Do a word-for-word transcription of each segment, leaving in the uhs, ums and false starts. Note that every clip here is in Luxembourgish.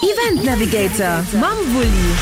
Event Navigator mam Wulli.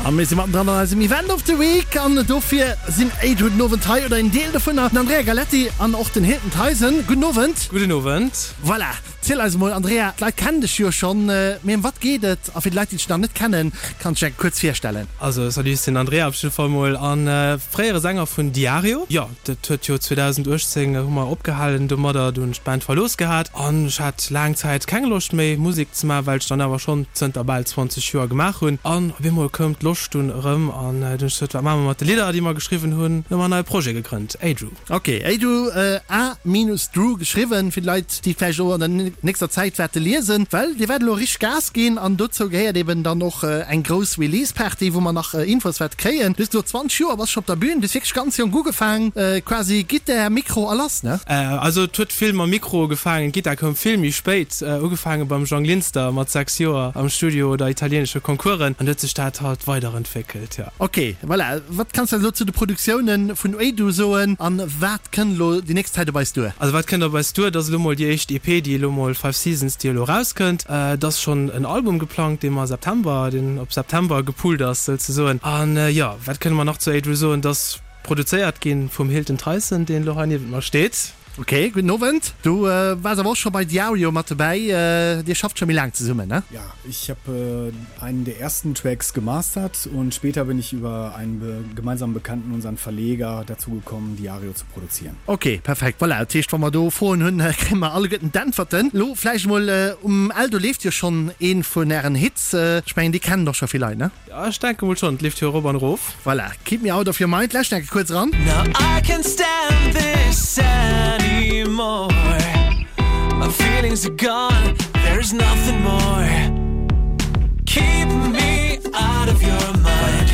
A mir si mattendran an eisem Event of the Week an dofir sinn Aidoo den Owend hei, oder en Deel dovunner, den Andrea Galleti an och den Hilton Theisen. Gudden Owend. Gudden Owend. Voilà, ziel eis emol, Andrea, d'Leit kennen dech jo schonn, mee ëm wat geet et? A fir déi Leit, déi dech nach net kennen, kanns dech eng kuerz virstellen? Also salut, ech sinn den Andrea op jidde Fall mol a fréiere Sänger vun Diario. Jo, dat huet jo zweedausenduechtzéng hu mer opgehalen domadder, du hunn ech d'Band verlooss gehat an ech hat laang Zäit keng Loscht méi Musek ze maachen, well ech dann awer schonn zënter bal zwanzeg Joer gemaach hunn. An op eemol koum d'Loscht dunn erëm an dunn hu ech gesot, wat maache mer mat de Lidder, déi mer geschriwwen hunn? Hu mer en neie Projet gegrënnt, Adrew. Ok, Adrew, A minus Drew geschriwwen, fir déi Leit, déi vläicht elo an der nächster Zäit wäerte liesen, well dir wäert elo richteg Gas ginn an dozou gehéiert eben dann och eng grouss Release-Party, wou mer nach Infos wäerte kréien. Du hues gesot, zwanzeg Joer bass scho op der Bühn, du hues wierklech ganz jonk ugefaang, quasi Gittar, Mikro a lass, ne? Also et huet vill mam Mikro ugefaangen, d'Gittar koum vill méi spéit, ugefaange beim Jang Linster mat sechs Joer am Studio oder italienesche Concoursen an huet sech dat halt weiderentwéckelt, jo. Ok, voilà. Wat kanns de elo zu de Produktioune vun Aidoo soen an wat kënnt elo déi nächst Zäit op eis duer? Also wat kënnt op eis duer, dat ass elo mol déi éischt E P, déi elo mol Five Seasons, déi elo erauskënnt. Et ass schonn en Album geplangt, dee mer September, deen op September gepullt ass souzesoen. An jo, wat kënne mer nach zu Aidoo soen, et ass produzéiert gi vum Hilton Tyson, deen elo hei niewent mer steet. Ok, gudden Owend. Du waars awer och scho bei Diario mat dobäi. Dir schafft scho méi laang zesummen, ne? Ja, ich hab einen der ersten Tracks gemastert und später bin ich über einen gemeinsamen Bekannten, unseren Verleger, dazu gekommen, Diario zu produzieren. Ok, perfekt. Voilà, dat heescht, wa mer do Froen hunn, kréie mer alleguerten d'Äntwerten. Elo vläicht emol, um Eldo leeft jo schonn ee vun ären Hits. Ech mengen, dee kennen och scho vill Leit, ne? Ja, ech denke mol schonn, et leeft jo erop an erof. Voilà, Keep Me Out of Your Mind. Lauscht enke kuerz eran. Now I can't stand this anymore. My feelings are gone, there's nothing more. Keep me out of your mind.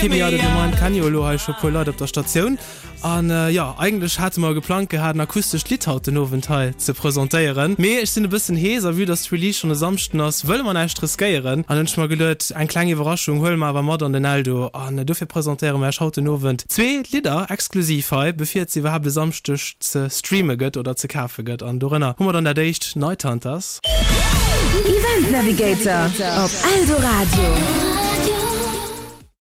Keep Me Out of Your Mind kenne jo elo hei scho puer Leit op der Statioun. An jo, eigentlech hate mer geplangt gehat, en akustescht Lidd haut den Owend hei ze presentéieren. Mee ech sinn e bëssen hees a vue dass d'Release schonn e Samschden ass, wëlle mer näischt riskéieren. An hunn ech mer geduet, eng kleng Iwwerraschung huele mer awer mat an den Eldo. An dofir presentéiere mer iech haut den Owend zwee Lidder exklusiv hei, bevir et se iwwerhaapt e Samschdeg ze streame gëtt oder ze kafe gëtt. An dorënner hu mer dann dat éischt, Night Hunters. Event Navigator op Eldoradio.